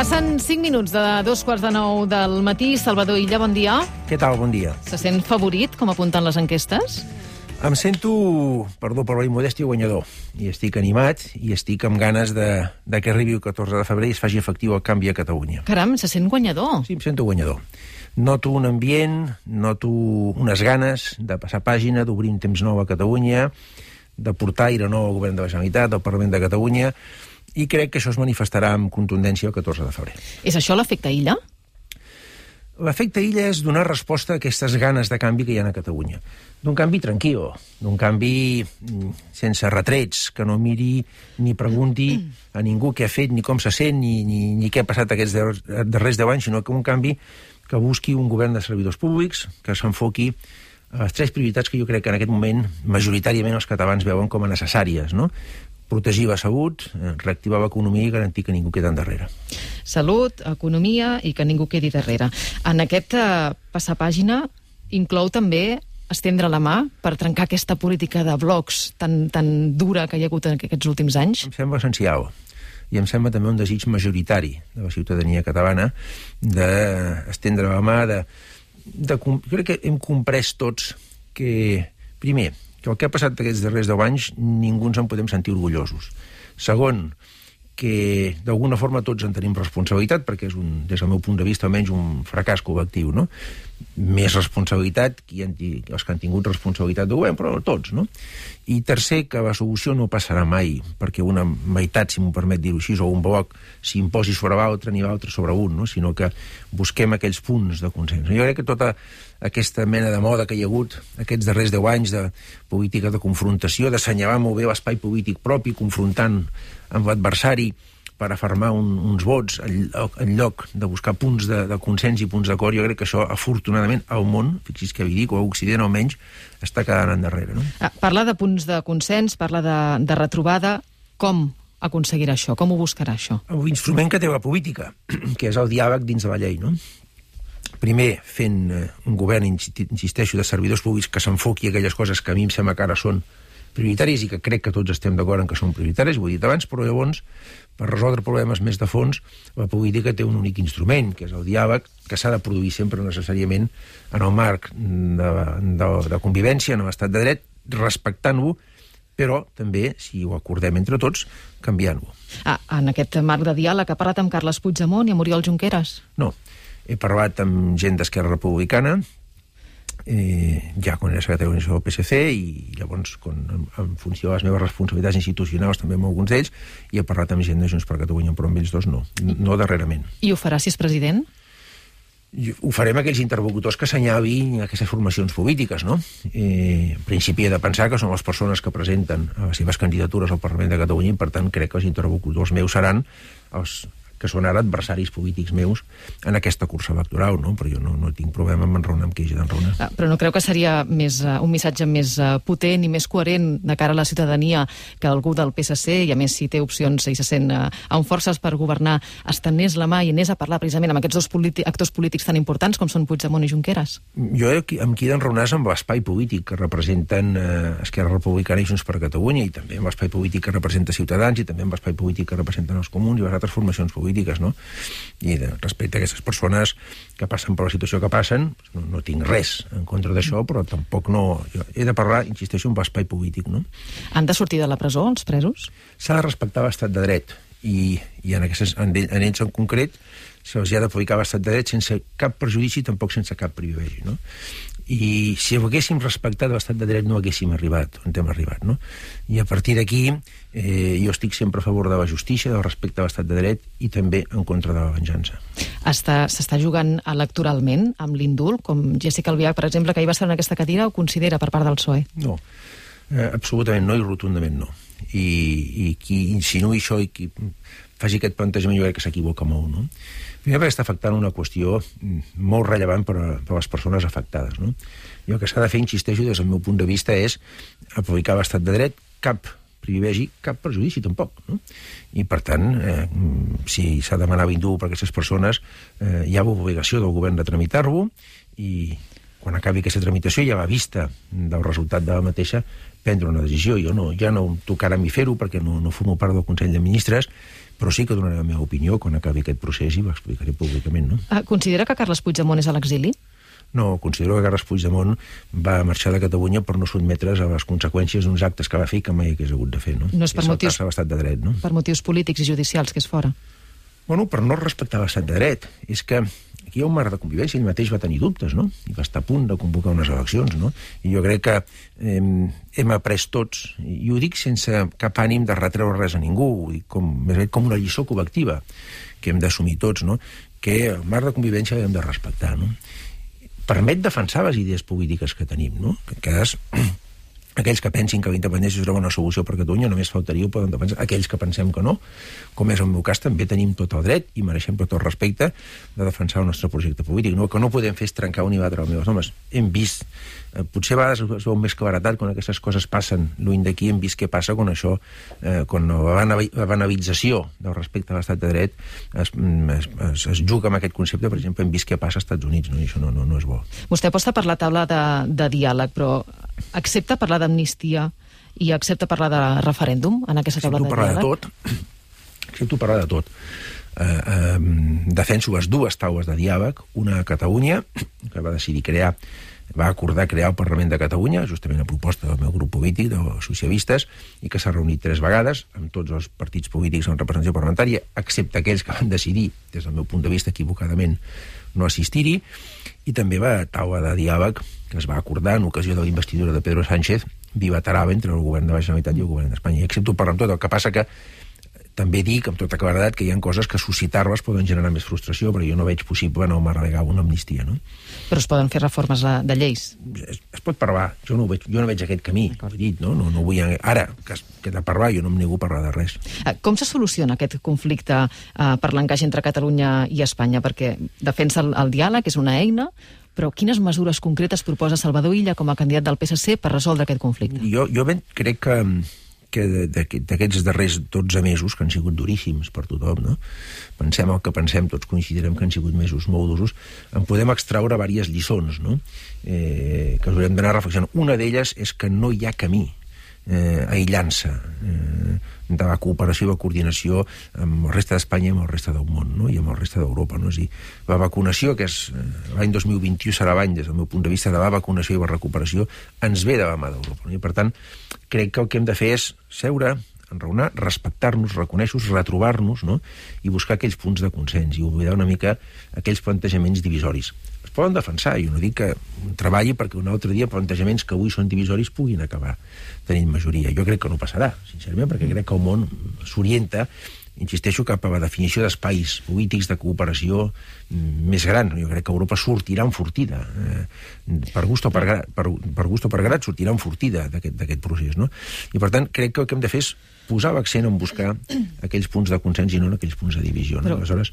Passen 5 minuts de 2:45 del matí. Salvador Illa, bon dia. Què tal? Bon dia. Se sent favorit, com apunten les enquestes? Em sento, perdó per la immodèstia, guanyador. I estic animat i estic amb ganes de que arribi el 14 de febrer i es faci efectiu el canvi a Catalunya. Caram, se sent guanyador. Sí, em sento guanyador. Noto un ambient, noto unes ganes de passar pàgina, d'obrir un temps nou a Catalunya, de portar aire nou al govern de la Generalitat, al Parlament de Catalunya, i crec que això es manifestarà amb contundència el 14 de febrer. És això l'efecte Illa? L'efecte Illa és donar resposta a aquestes ganes de canvi que hi ha a Catalunya. D'un canvi tranquil, d'un canvi sense retrets, que no miri ni pregunti a ningú què ha fet, ni com se sent, ni què ha passat aquests darrers 10 anys, sinó que un canvi que busqui un govern de servidors públics, que s'enfoqui a les 3 prioritats que jo crec que en aquest moment majoritàriament els catalans veuen com a necessàries, no? Protegir la salut, reactivar l'economia i garantir que ningú queda endarrere. Salut, economia i que ningú quedi darrere. En aquest passar pàgina inclou també estendre la mà per trencar aquesta política de blocs tan dura que hi ha hagut en aquests últims anys? Em sembla essencial. I em sembla també un desig majoritari de la ciutadania catalana d'estendre la mà, crec que hem comprès tots que, primer, que el que ha passat aquests darrers 10 anys ningú ens en podem sentir orgullosos. Segon, que d'alguna forma tots en tenim responsabilitat, perquè és, des del meu punt de vista, almenys un fracàs col·lectiu, no? Més responsabilitat els que han tingut responsabilitat de govern, però tots, no? I tercer, que la solució no passarà mai perquè una meitat, si m'ho permet dir-ho així, o un bloc s'imposi sobre l'altre ni l'altre sobre un, no? Sinó que busquem aquells punts de consens. Jo crec que tota aquesta mena de moda que hi ha hagut aquests darrers 10 anys de política de confrontació, d'assenyalar molt bé l'espai polític propi, confrontant amb l'adversari per afermar uns vots en lloc de buscar punts de consens i punts d'acord, jo crec que això, afortunadament, al món, fixi's què dic, o a Occident almenys, està quedant endarrere, no? Parla de punts de consens, parla de retrobada. Com aconseguirà això? Com ho buscarà, això? L'instrument que té la política, que és el diàleg dins de la llei, no? Primer, fent un govern, insisteixo, de servidors públics que s'enfoqui a aquelles coses que a mi em sembla que ara són prioritàries i que crec que tots estem d'acord en que són prioritàries, ho he dit abans, però llavors, per resoldre problemes més de fons, la política té un únic instrument, que és el diàleg, que s'ha de produir sempre necessàriament en el marc de convivència, en l'estat de dret, respectant-ho, però també, si ho acordem entre tots, canviant-ho. En aquest marc de diàleg ha parlat amb Carles Puigdemont i amb Oriol Junqueras? No, he parlat amb gent d'Esquerra Republicana, ja quan era secretari d'organització del PSC, i llavors, en funció de les meves responsabilitats institucionals, també amb alguns d'ells, i he parlat amb gent de Junts per Catalunya, però amb ells dos no darrerament. I ho farà si és president? Ho farem aquells interlocutors que assenyalin aquestes formacions polítiques, no? En principi he de pensar que són les persones que presenten les seves candidatures al Parlament de Catalunya i, per tant, crec que els interlocutors meus seran els que són ara adversaris polítics meus en aquesta cursa electoral, no? Però jo no tinc problema en enraonar amb qui hagi d'enraonar. Però no creu que seria un missatge més potent i més coherent de cara a la ciutadania que algú del PSC, i a més si té opcions i se sent amb forces per governar, estenés la mà i anés a parlar precisament amb aquests dos actors polítics tan importants com són Puigdemont i Junqueras? Jo amb qui he d'enraonar és amb l'espai polític que representen Esquerra Republicana i Junts per Catalunya, i també amb l'espai polític que representa Ciutadans, i també amb l'espai polític que representen els comuns i les altres formacions polítiques, no? I respecte a aquestes persones que passen per la situació que passen, no tinc res en contra d'això, però tampoc no... He de parlar, insisteixo, amb l'espai polític, no? Han de sortir de la presó, els presos? S'ha de respectar l'estat de dret, i en ells en concret se'ls ha d'aplicar l'estat de dret sense cap perjudici, tampoc sense cap privilegi, no? I si haguéssim respectat l'estat de dret no haguéssim arribat on hem arribat, no? I a partir d'aquí jo estic sempre a favor de la justícia, del respecte a l'estat de dret i també en contra de la venjança. S'està jugant electoralment amb l'indult, com Jéssica Albiach, per exemple, que ahir va estar en aquesta cadira, ho considera per part del PSOE? No, absolutament no i rotundament no. I qui insinuï això i qui faci aquest plantejament jo crec que s'equivoca molt, no? Primer perquè està afectant una qüestió molt rellevant per a les persones afectades, no? I el que s'ha de fer, insisteixo, des del meu punt de vista, és aplicar l'estat de dret, cap privilegi, cap perjudici tampoc, no? I per tant, si s'ha de demanar l'indult per a aquestes persones, hi ha l'obligació del govern de tramitar-lo, i quan acabi aquesta tramitació i a la vista del resultat de la mateixa prendre una decisió. Jo ja no em tocarà a mi fer-ho perquè no formo part del Consell de Ministres, Però sí que donaré la meva opinió quan acabi aquest procés i ho explicaré públicament, no? Considera que Carles Puigdemont és a l'exili? No, considero que Carles Puigdemont va marxar de Catalunya per no sotmetre's a les conseqüències d'uns actes que va fer que mai hagués hagut de fer, no? No és per motius... l'estat de dret, no? Per motius polítics i judicials, que és fora. Bueno, per no respectar l'estat de dret. És que aquí hi ha un marc de convivència, ell mateix va tenir dubtes, no? I va estar a punt de convocar unes eleccions, no? I jo crec que hem après tots, i ho dic sense cap ànim de retreure res a ningú, ho dic com una lliçó col·lectiva que hem d'assumir tots, no? Que el marc de convivència l'hem de respectar, no? Permet defensar les idees polítiques que tenim, no? Que aquells que pensin que la independència serà una solució per Catalunya només faltaria, ho poden defensar. Aquells que pensem que no, com és el meu cas, també tenim tot el dret i mereixem tot el respecte de defensar el nostre projecte polític. No, que no podem fer és trencar un i batre els meus homes. Hem vist, potser a vegades es veu més claretat quan aquestes coses passen lluny d'aquí, hem vist què passa quan això, quan la banalització del respecte a l'estat de dret es juga amb aquest concepte. Per exemple, hem vist què passa als Estats Units, no? I això no és bo. Vostè aposta per la taula de diàleg, però accepta parlar d'amnistia i accepta parlar de referèndum en aquesta taula de diàleg? Accepto parlar de tot. Defenso les dues taules de diàleg, una a Catalunya, que va acordar crear el Parlament de Catalunya, justament a proposta del meu grup polític, dels socialistes, i que s'ha reunit 3 vegades amb tots els partits polítics en representació parlamentària, excepte aquells que van decidir, des del meu punt de vista equivocadament, no assistir-hi, i també la taula de diàleg que es va acordar en ocasió de la investidura de Pedro Sánchez bilateral entre el govern de la Generalitat i el govern d'Espanya. I accepto parlar amb tot, el que passa que també dic amb tota claredat que hi ha coses que suscitar-les poden generar més frustració, però jo no veig possible en el marc legal una amnistia, no? Però es poden fer reformes de lleis? Es pot parlar, jo no veig aquest camí, dit, no? No vull... Ara, que de parlar, jo no em nego a parlar de res. Com se soluciona aquest conflicte per l'encaix entre Catalunya i Espanya? Perquè defensa el diàleg, és una eina, però quines mesures concretes proposa Salvador Illa com a candidat del PSC per resoldre aquest conflicte? Jo crec que d'aquests darrers 12 mesos, que han sigut duríssims per tothom, no? Pensem el que pensem, tots coincidirem que han sigut mesos molt durs, en podem extraure diverses lliçons, no? Que us haurem d'anar reflexionant. Una d'elles és que no hi ha camí aïllant-se de la cooperació i la coordinació amb el resta d'Espanya i amb el resta del món, no? I amb el resta d'Europa, no? És dir, la vacunació, que és l'any 2021 serà l'any, des del meu punt de vista, de la vacunació i la recuperació, ens ve de la mà d'Europa, no? I per tant, crec que el que hem de fer és seure, enraonar, respectar-nos, reconèixer-nos, retrobar-nos, no? I buscar aquells punts de consens i oblidar una mica aquells plantejaments divisoris. Es poden defensar, jo no dic que treballi perquè un altre dia plantejaments que avui són divisoris puguin acabar tenint majoria. Jo crec que no passarà, sincerament, perquè crec que el món s'orienta, insisteixo, cap a la definició d'espais polítics de cooperació més gran. Jo crec que Europa sortirà enfortida, per gust o per grat sortirà enfortida d'aquest procés, no? I per tant crec que el que hem de fer és posar l'accent en buscar aquells punts de consens i no en aquells punts de divisió, no? Aleshores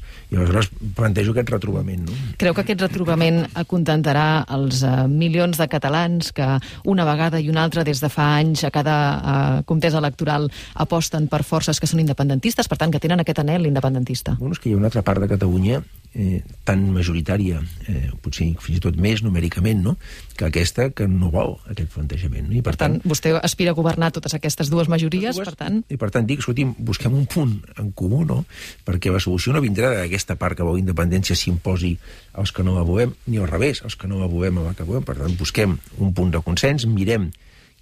plantejo aquest retrobament, no? Creu que aquest retrobament acontentarà els milions de catalans que una vegada i una altra des de fa anys a cada contesa electoral aposten per forces que són independentistes, per tant que tenen aquest anhel independentista? Bueno, és que hi ha una altra part de Catalunya tan majoritària, potser fins i tot més numèricament, no?, que aquesta que no vol aquest plantejament. No? I per tant, vostè aspira a governar totes aquestes dues majories, per tant... I per tant dic, escolti'm, busquem un punt en comú, no?, perquè la solució no vindrà d'aquesta part que vol independència s'imposi als que no la volem, ni al revés, als que no la volem a la que volem. Per tant, busquem un punt de consens, mirem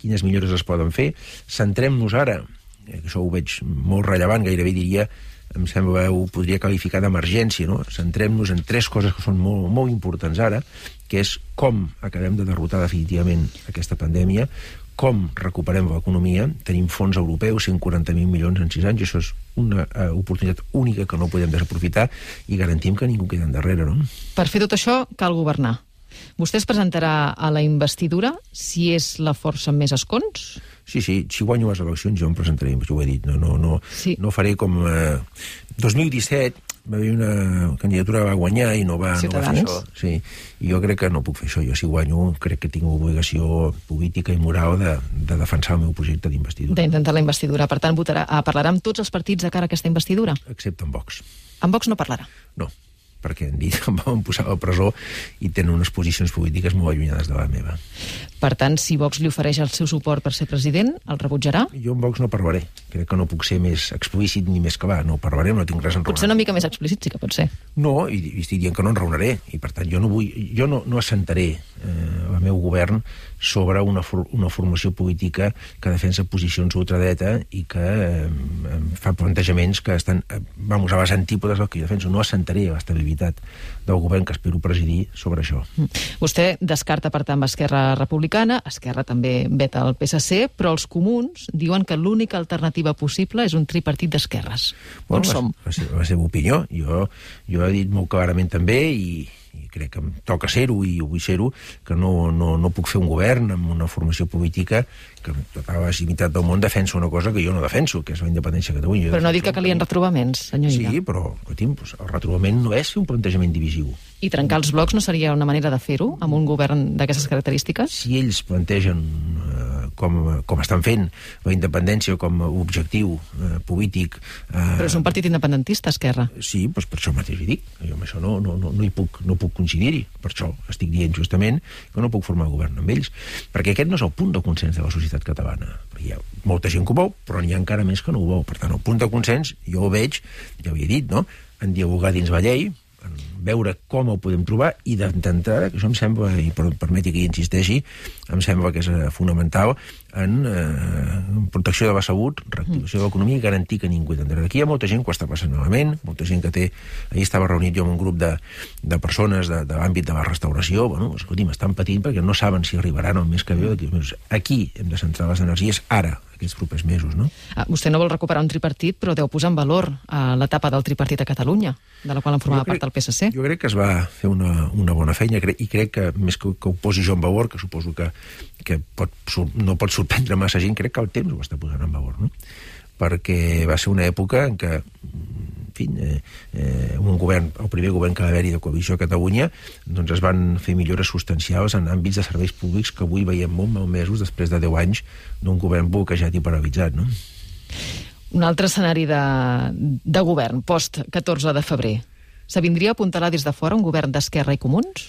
quines millores es poden fer, centrem-nos ara, que això ho veig molt rellevant, gairebé diria, em sembla, ho podria qualificar d'emergència, no? Centrem-nos en 3 coses que són molt, molt importants ara, que és com acabem de derrotar definitivament aquesta pandèmia, com recuperem l'economia, tenim fons europeus, 140.000 milions en 6 anys, i això és una oportunitat única que no podem desaprofitar i garantim que ningú queda endarrere, no? Per fer tot això cal governar. Vostè es presentarà a la investidura si és la força amb més escons? Sí, si guanyo les eleccions jo em presentaré, jo ho he dit, no faré com... 2017 va haver una candidatura que va guanyar i no va fer això. Sí, i jo crec que no puc fer això. Jo, si guanyo, crec que tinc obligació política i moral de defensar el meu projecte d'investidura. D'intentar la investidura. Per tant, parlarà amb tots els partits de cara a aquesta investidura? Excepte amb Vox. Amb Vox no parlarà? No. perquè han dit que em van posar a la presó i tenen unes posicions polítiques molt allunyades de la meva. Per tant, si Vox li ofereix el seu suport per ser president, el rebutjarà? Jo amb Vox no parlaré. Crec que no puc ser més explícit ni més que va. No parlaré, no tinc res en raonar. Potser una mica més explícit sí que pot ser. No, i estic dient que no enraonaré, i per tant jo no assentaré el meu govern sobre una formació política que defensa posicions ultradreta i que fa plantejaments que estan a les antípodes del que jo defenso. No assentaré l'estabilitat del govern que espero presidir sobre això. Vostè descarta, per tant, Esquerra Republicana, Esquerra també veta el PSC, però els comuns diuen que l'única alternativa possible és un tripartit d'esquerres. On som? La seva opinió. Jo he dit molt clarament també, i crec que em toca ser-ho i vull ser-ho, que no puc fer un govern amb una formació política que amb tota la legitimitat del món defensa una cosa que jo no defenso, que és la independència de Catalunya. Però no ha dit que calien retrobaments, senyor Illa. Sí, però el retrobament no és fer un plantejament divisiu. I trencar els blocs no seria una manera de fer-ho amb un govern d'aquestes característiques? Si ells plantegen, com estan fent, la independència com a objectiu polític... Però és un partit independentista, Esquerra. Sí, doncs per això mateix hi dic. Jo amb això no puc coincidir-hi. Per això estic dient justament que no puc formar govern amb ells. Perquè aquest no és el punt de consens de la societat catalana. Hi ha molta gent que ho vol, però n'hi ha encara més que no ho vol. Per tant, el punt de consens, jo ho veig, ja ho he dit, no?, en dialogar dins la llei, en veure com ho podem trobar, i d'entrada, que això em sembla, i permeti que hi insisteixi, em sembla que és fonamental en protecció de la salut, reactivació de l'economia i garantir que ningú tindrà. Aquí hi ha molta gent que ho està passant malament, molta gent que té... Ahir estava reunit jo amb un grup de persones de l'àmbit de la restauració. Bueno, escolti'm, estan patint perquè no saben si arribaran el mes que ve o d'aquí uns mesos. Aquí hem de centrar les energies ara, aquests propers mesos, no? Vostè no vol recuperar un tripartit, però deu posar en valor l'etapa del tripartit a Catalunya, de la qual en formava part el PSC. Jo crec que es va fer una bona feina, i crec que, més que ho posi jo en valor, que suposo que no pot sorprendre massa gent, crec que el temps ho està posant en valor, no? Perquè va ser una època en què, en fi, el primer govern que va haver-hi de coalició a Catalunya, doncs es van fer millores substancials en àmbits de serveis públics que avui veiem molt malmesos després de 10 anys d'un govern bloquejat i paralitzat, no? Un altre escenari de govern, post-14 de febrer. S'avindria a apuntalar des de fora un govern d'Esquerra i Comuns?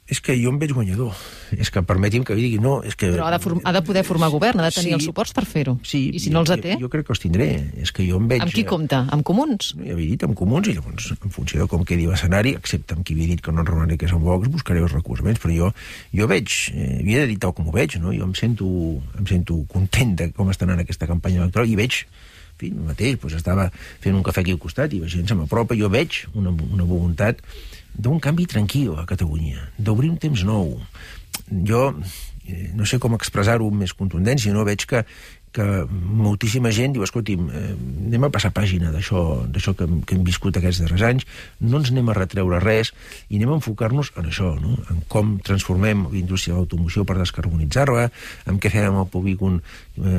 És que jo em veig guanyador. És que permeti'm que digui no. És que... Però ha de poder formar govern, ha de tenir els suports per fer-ho. Sí, i si no els té? Jo crec que els tindré. És que jo em veig... Amb qui compta? Amb Comuns? No, ja havia dit, amb Comuns, i llavors, en funció de com quedi l'escenari, excepte amb qui havia dit que no enraonaré que és amb Vox, buscaré els recolzaments, però jo veig, havia de dir tal com ho veig, no? Jo em sento content de com està anant aquesta campanya electoral, i veig, en fi, mateix, doncs estava fent un cafè aquí al costat i la gent se m'apropa, jo veig una voluntat d'un canvi tranquil a Catalunya, d'obrir un temps nou. Jo no sé com expressar-ho amb més contundència, no? Veig que moltíssima gent diu, escolti'm, anem a passar pàgina d'això que hem viscut aquests darrers anys, no ens anem a retreure res i anem a enfocar-nos en això, no? En com transformem l'indústria de l'automoció per descarbonitzar-la, en què fem amb el polígon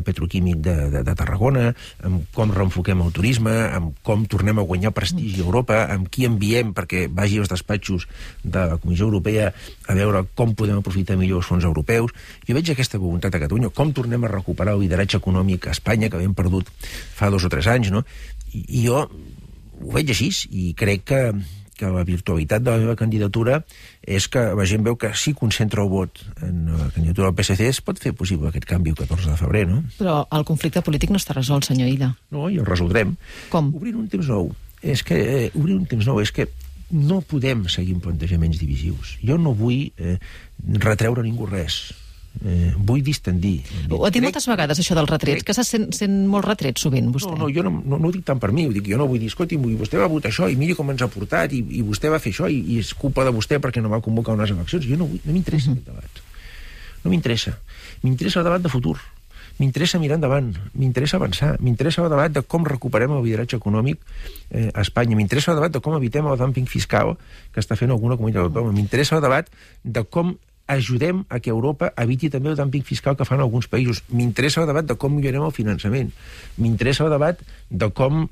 petroquímic de Tarragona, en com reenfoquem el turisme, en com tornem a guanyar prestigi a Europa, en qui enviem perquè vagi als despatxos de la Comissió Europea a veure com podem aprofitar millor els fons europeus. Jo veig aquesta voluntat a Catalunya, com tornem a recuperar el lideratge econòmic a Espanya, que havíem perdut fa 2 o 3 anys, no? I jo ho veig així, i crec que la virtualitat de la meva candidatura és que la gent veu que si concentra el vot en la candidatura del PSC es pot fer possible aquest canvi el 14 de febrer, no? Però el conflicte polític no està resolt, senyor Illa. No, i el resoldrem. Com? Obrint un temps nou. Obrir un temps nou és que no podem seguir amb plantejaments divisius. Jo no vull retreure a ningú res. Vull distendir. Ho ha dit moltes vegades, això dels retrets, que se sent molt retret sovint, vostè. No, jo no ho dic tant per mi, ho dic, jo no vull dir, escolti, vostè va votar això, i miri com ens ha portat, i vostè va fer això, i és culpa de vostè perquè no va convocar unes eleccions. Jo no m'interessa aquest debat. No m'interessa. M'interessa el debat de futur. M'interessa mirar endavant, m'interessa avançar, m'interessa el debat de com recuperem el lideratge econòmic a Espanya, m'interessa el debat de com evitem el dumping fiscal que està fent alguna comunitat autònoma, m'interessa el debat de com ajudem a que Europa eviti també el dumping fiscal que fan alguns països. M'interessa el debat de com millorem el finançament. M'interessa el debat de com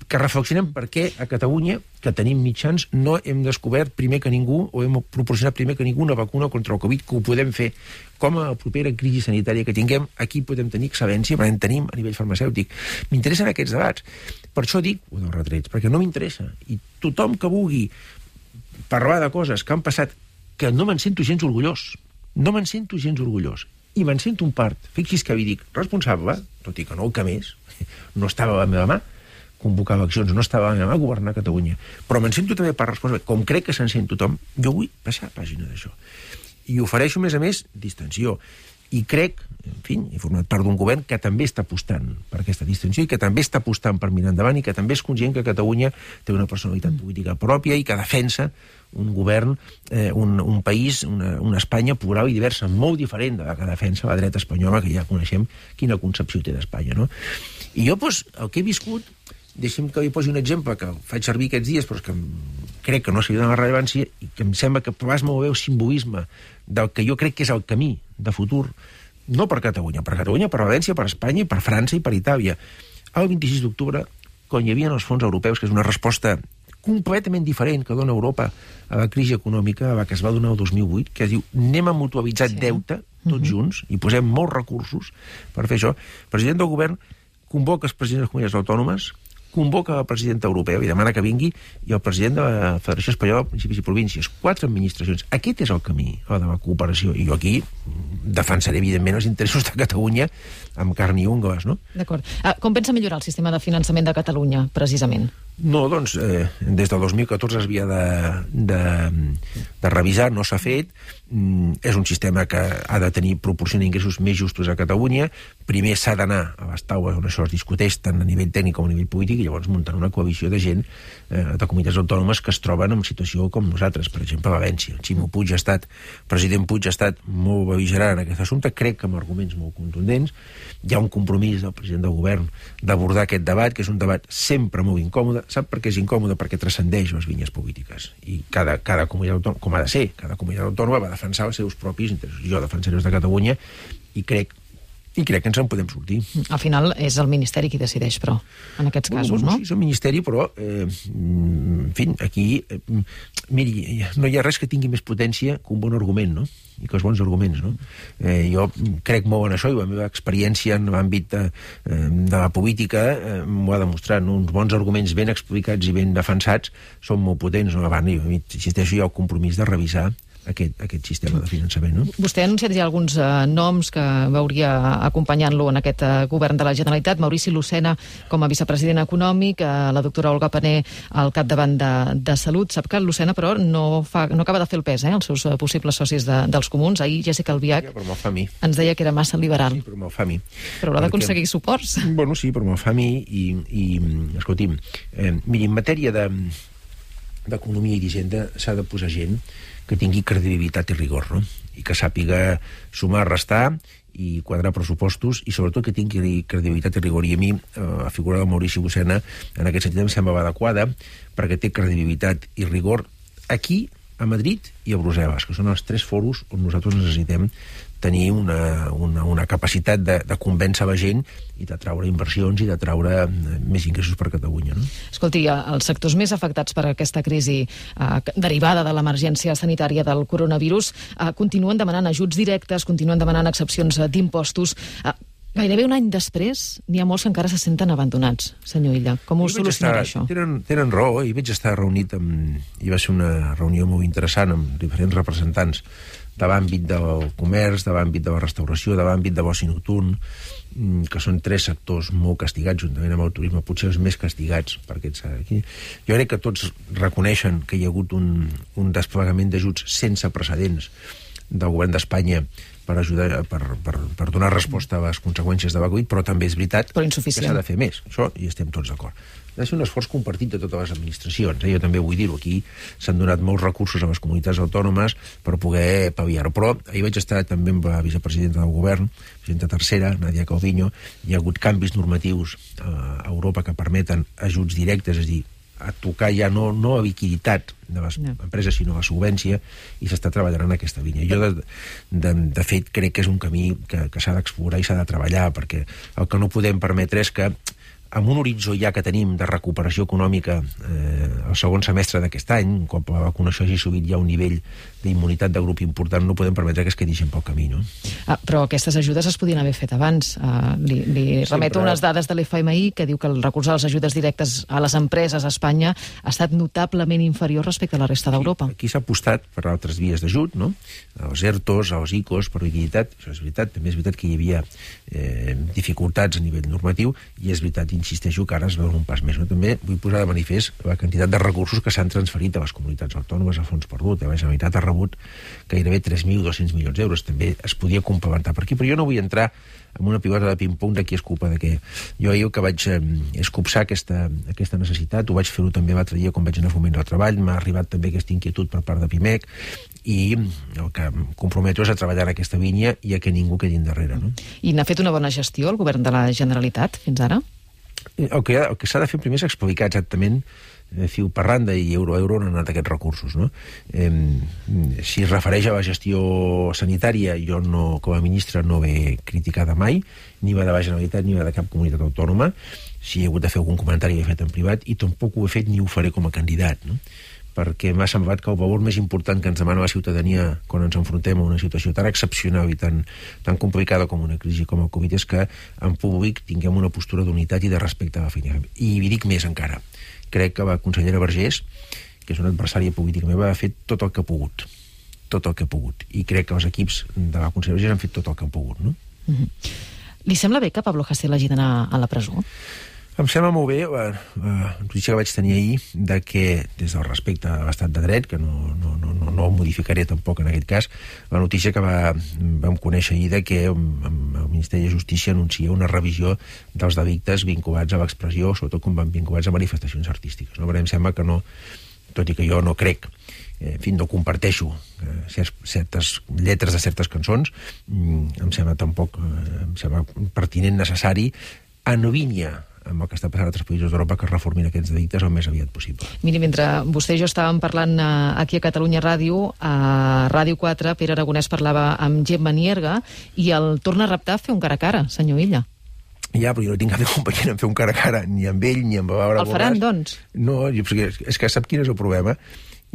que reflexionem per què a Catalunya, que tenim mitjans, no hem descobert primer que ningú, o hem proporcionat primer que ningú una vacuna contra el Covid, que ho podem fer. Com a la propera crisi sanitària que tinguem, aquí podem tenir excel·lència, però en tenim a nivell farmacèutic. M'interessen aquests debats. Per això dic, dels retrets, perquè no m'interessa. I tothom que vulgui parlar de coses que han passat, que no me'n sento gens orgullós. No me'n sento gens orgullós. I me'n sento un part, fixi's que vi dic, responsable, tot i que no el que més, no estava a la meva mà, convocar eleccions, no estava a la meva mà governar Catalunya. Però me'n sento també part responsable, com crec que se'n sent tothom, jo vull passar a pàgina d'això. I ofereixo, a més, distensió. I crec, en fi, he format part d'un govern que també està apostant per aquesta distensió i que també està apostant per mirar endavant i que també és conscient que Catalunya té una personalitat política pròpia i que defensa un govern, un país, una Espanya plural i diversa, molt diferent de la que defensa la dreta espanyola, que ja coneixem quina concepció té d'Espanya, no? I jo, doncs, el que he viscut, deixi'm que li posi un exemple que faig servir aquests dies, però és que crec que no s'hi dona rellevància i que em sembla que plasma molt bé el simbolisme del que jo crec que és el camí de futur, no per Catalunya, per València, per Espanya, per França i per Itàlia. El 26 d'octubre, quan hi havia els fons europeus, que és una resposta completament diferent que dona Europa a la crisi econòmica, a la que es va donar el 2008, que es diu anem a mutualitzar deute, tots junts, i posem molts recursos per fer això. El president del govern convoca els presidents de les comunitats autònomes, convoca el president europeu i demana que vingui, i el president de la Federació Espanyola de Municipis i Províncies. 4 administracions. Aquest és el camí, el de la cooperació. I jo aquí defensaré, evidentment, els interessos de Catalunya amb carn i ungles, no? D'acord. Com pensa millorar el sistema de finançament de Catalunya, precisament? No, doncs, des del 2014 es havia de revisar, no s'ha fet. És un sistema que ha de tenir proporcionar ingressos més justos a Catalunya. Primer s'ha d'anar a les taules on això es discuteix tant a nivell tècnic com a nivell polític i llavors muntar una coalició de gent de comunitats autònomes que es troben en situació com nosaltres, per exemple, a València. Ximo Puig ha estat, president Puig ha estat molt bel·ligerant en aquest assumpte, crec que amb arguments molt contundents. Hi ha un compromís del president del govern d'abordar aquest debat, que és un debat sempre molt incòmode. Sap per què és incòmode? Perquè transcendeix les vinyes polítiques. I cada comunitat autònoma, com ha de ser, cada comunitat autònoma va defensar els seus propis interessos. Jo defensaré els de Catalunya i crec que ens en podem sortir. Al final és el Ministeri qui decideix, però, en aquests casos, no? Sí, és el Ministeri, però, en fi, aquí, miri, no hi ha res que tingui més potència que un bon argument, no? I que els bons arguments, no? Jo crec molt en això, i la meva experiència en l'àmbit de la política m'ho ha demostrat, no? Uns bons arguments ben explicats i ben defensats són molt potents, no? Abans, insisteixo, hi ha el compromís de revisar aquest sistema de finançament, no? Vostè ha anunciat ja alguns noms que veuria acompanyant-lo en aquest govern de la Generalitat. Maurici Lucena com a vicepresident econòmic, la doctora Olga Pané al capdavant de Salut. Sap que Lucena, però, no acaba de fer el pes, els seus possibles socis dels comuns. Ahir Jessica Albiach ens deia que era massa liberal. Sí, però me'l fa a mi. Però haurà d'aconseguir suports. Bueno, sí, però me'l fa a mi i escolti'm, miri, en matèria d'economia i d'hisenda s'ha de posar gent que tingui credibilitat i rigor, no? I que sàpiga sumar, restar i quadrar pressupostos, i sobretot que tingui credibilitat i rigor. I a mi la figura de Maurici Lucena en aquest sentit em sembla adequada, perquè té credibilitat i rigor aquí, a Madrid i a Brussel·les, que són els 3 foros on nosaltres necessitem tenir una capacitat de convèncer la gent i de traure inversions i de traure més ingressos per Catalunya, no? Escolti, els sectors més afectats per aquesta crisi derivada de l'emergència sanitària del coronavirus continuen demanant ajuts directes, continuen demanant excepcions d'impostos. Gairebé un any després, n'hi ha molts que encara se senten abandonats, senyor Illa. Com ho solucionarà això? Tenen raó, i vaig estar reunit i va ser una reunió molt interessant amb diferents representants de l'àmbit del comerç, de l'àmbit de la restauració, de l'àmbit de l'oci nocturn, que són 3 sectors molt castigats, juntament amb el turisme, potser els més castigats per aquest aquí. Jo crec que tots reconeixen que hi ha hagut un desplegament d'ajuts sense precedents del govern d'Espanya per ajudar, per donar resposta a les conseqüències de la Covid, però també és veritat que s'ha de fer més. Això hi estem tots d'acord. Ha de ser un esforç compartit de totes les administracions. Jo també vull dir-ho, aquí s'han donat molts recursos a les comunitats autònomes per poder pal·liar-ho. Però ahir vaig estar també amb la vicepresidenta del govern, presidenta tercera, Nadia Calviño. Hi ha hagut canvis normatius a Europa que permeten ajuts directes, és a dir, a tocar ja no a liquiditat de les empreses, sinó a la solvència, i s'està treballant en aquesta línia. Jo, de fet, crec que és un camí que s'ha d'explorar i s'ha de treballar, perquè el que no podem permetre és que amb un horitzó ja que tenim de recuperació econòmica el segon semestre d'aquest any, un cop la vacunació hagi subit ja un nivell d'immunitat de grup important, no podem permetre que es quedi gent pel camí, no? Però aquestes ajudes es podien haver fet abans. Li remeto unes dades de l'FMI que diu que el recurs a les ajudes directes a les empreses a Espanya ha estat notablement inferior respecte a la resta d'Europa. Aquí s'ha apostat per altres vies d'ajut, no? Els ERTOs, els ICOs, per liquiditat, això és veritat. També és veritat que hi havia dificultats a nivell normatiu i és veritat, insisteixo, que ara es veuen un pas més. No? També vull posar de manifest la quantitat de recursos que s'han transferit a les comunitats autònomes a fons perdut. La Generalitat ha rebut gairebé 3.200 milions d'euros. També es podia complementar per aquí, però jo no vull entrar en una pilota de ping-pong de qui és culpa de què. Jo ahir el que vaig escopsar aquesta necessitat, ho vaig fer-ho també l'altre dia quan vaig anar a Foment del Treball, m'ha arribat també aquesta inquietud per part de PIMEC i el que em comprometo és a treballar en aquesta línia i a que ningú quedi endarrere. No? I n'ha fet una bona gestió el govern de la Generalitat fins ara? El que s'ha de fer primer és explicar exactament fil per randa i euro a euro on han anat aquests recursos. No? Si es refereix a la gestió sanitària, jo no, com a ministre no l'he criticada mai, ni va de la Generalitat ni va de cap comunitat autònoma. Si he hagut de fer algun comentari l'he fet en privat i tampoc ho he fet ni ho faré com a candidat, no? Perquè m'ha semblat que el valor més important que ens demana la ciutadania quan ens enfrontem a una situació tan excepcional i tan complicada com una crisi com el Covid és que en públic tinguem una postura d'unitat i de respecte a la feina. I hi dic més encara. Crec que la consellera Vergés, que és una adversària política meva, ha fet tot el que ha pogut. Tot el que ha pogut. I crec que els equips de la consellera Vergés han fet tot el que han pogut, no? Li sembla bé que Pablo Hasél hagi d'anar a la presó? Em sembla molt bé la notícia que vaig tenir ahir de que, des del respecte a l'estat de dret, que no ho modificaré tampoc en aquest cas, la notícia que vam conèixer ahir de que el Ministeri de Justícia anuncia una revisió dels delictes vinculats a l'expressió, sobretot quan van vinculats a manifestacions artístiques. No? Però em sembla que no, tot i que jo no crec, en fi, no comparteixo certes lletres de certes cançons, em sembla pertinent, necessari, en línia amb el que està passant a altres països d'Europa, que reformin aquests delictes el més aviat possible. Miri, mentre vostè i jo estàvem parlant aquí a Catalunya Ràdio, a Ràdio 4, Pere Aragonès parlava amb Gemma Nierga i el torna a reptar a fer un cara a cara, senyor Illa. Ja, però jo no tinc cap inconvenient en fer un cara a cara, ni amb ell, ni amb Laura Borràs. El faran, doncs? No, és que sap quin és el problema?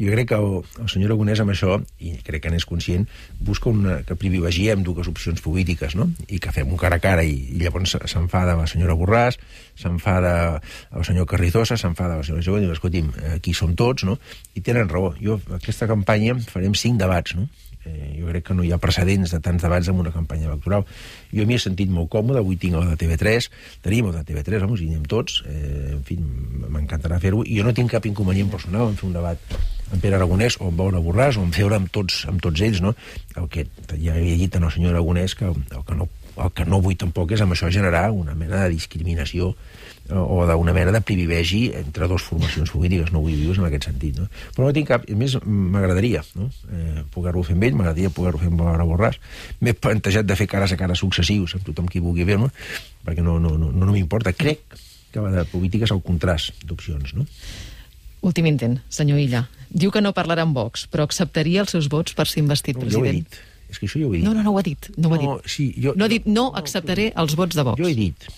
Jo crec que el senyor Aragonès amb això, i crec que n'és conscient, busca que privilegiem dues opcions polítiques, no? I que fem un cara a cara, i llavors s'enfada la senyora Borràs, s'enfada el senyor Carrizosa, s'enfada la senyora Jove, i diu, escolti'm, aquí som tots, no? I tenen raó. Jo, aquesta campanya, farem 5 debats, no? Jo crec que no hi ha precedents de tants debats en una campanya electoral. Jo m'hi he sentit molt còmode, avui tinc el de TV3, tenim el de TV3, home, hi anem tots, en fi, m'encantarà fer-ho, i jo no tinc cap inconvenient personal en fer un debat amb Pere Aragonès o amb Laura Borràs o en fer-ho amb tots ells, no? El que ja havia dit al senyor Aragonès que el que no vull tampoc és amb això generar una mena de discriminació o d'una mena de privilegi entre dues formacions polítiques, no vull viure en aquest sentit, no? Però no tinc cap... A més, m'agradaria, no? Poder-ho fer amb ell, m'agradaria poder-ho fer amb Laura Borràs. M'he plantejat de fer cares a cara successius amb tothom qui vulgui fer-me, perquè no m'importa. Crec que la de política és el contrast d'opcions, no? Últim intent, senyor Illa. Diu que no parlarà amb Vox, però acceptaria els seus vots per ser investit president. Jo ho he dit. És que això jo ho he dit. No ho ha dit. No ha dit, no acceptaré els vots de Vox. Jo he dit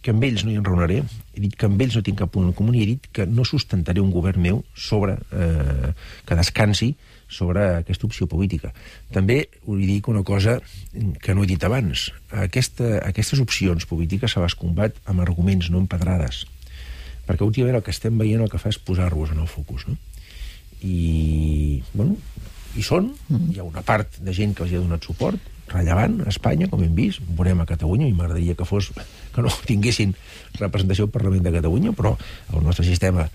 que amb ells no hi enraonaré, he dit que amb ells no tinc cap punt en comú, i he dit que no sustentaré un govern meu sobre que descansi sobre aquesta opció política. També us dic una cosa que no he dit abans. Aquestes opcions polítiques se les combat amb arguments, no amb pedrades. Perquè últimament el que estem veient el que fa és posar-vos en el focus, no? I, bueno, hi ha una part de gent que els ha donat suport, rellevant a Espanya, com hem vist, veurem a Catalunya, i m'agradaria que no tinguessin representació al Parlament de Catalunya, però el nostre sistema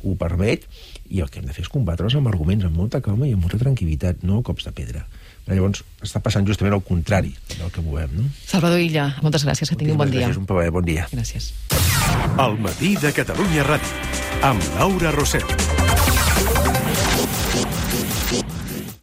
ho permet, i el que hem de fer és combatre's amb arguments, amb molta calma i amb molta tranquil·litat, no cops de pedra. Però llavors està passant justament el contrari del que volem, no? Salvador Illa, moltes gràcies, que tingui un bon dia. Gràcies, un plaer, bon dia. Gràcies. El matí de Catalunya Ràdio, amb Laura Rosel.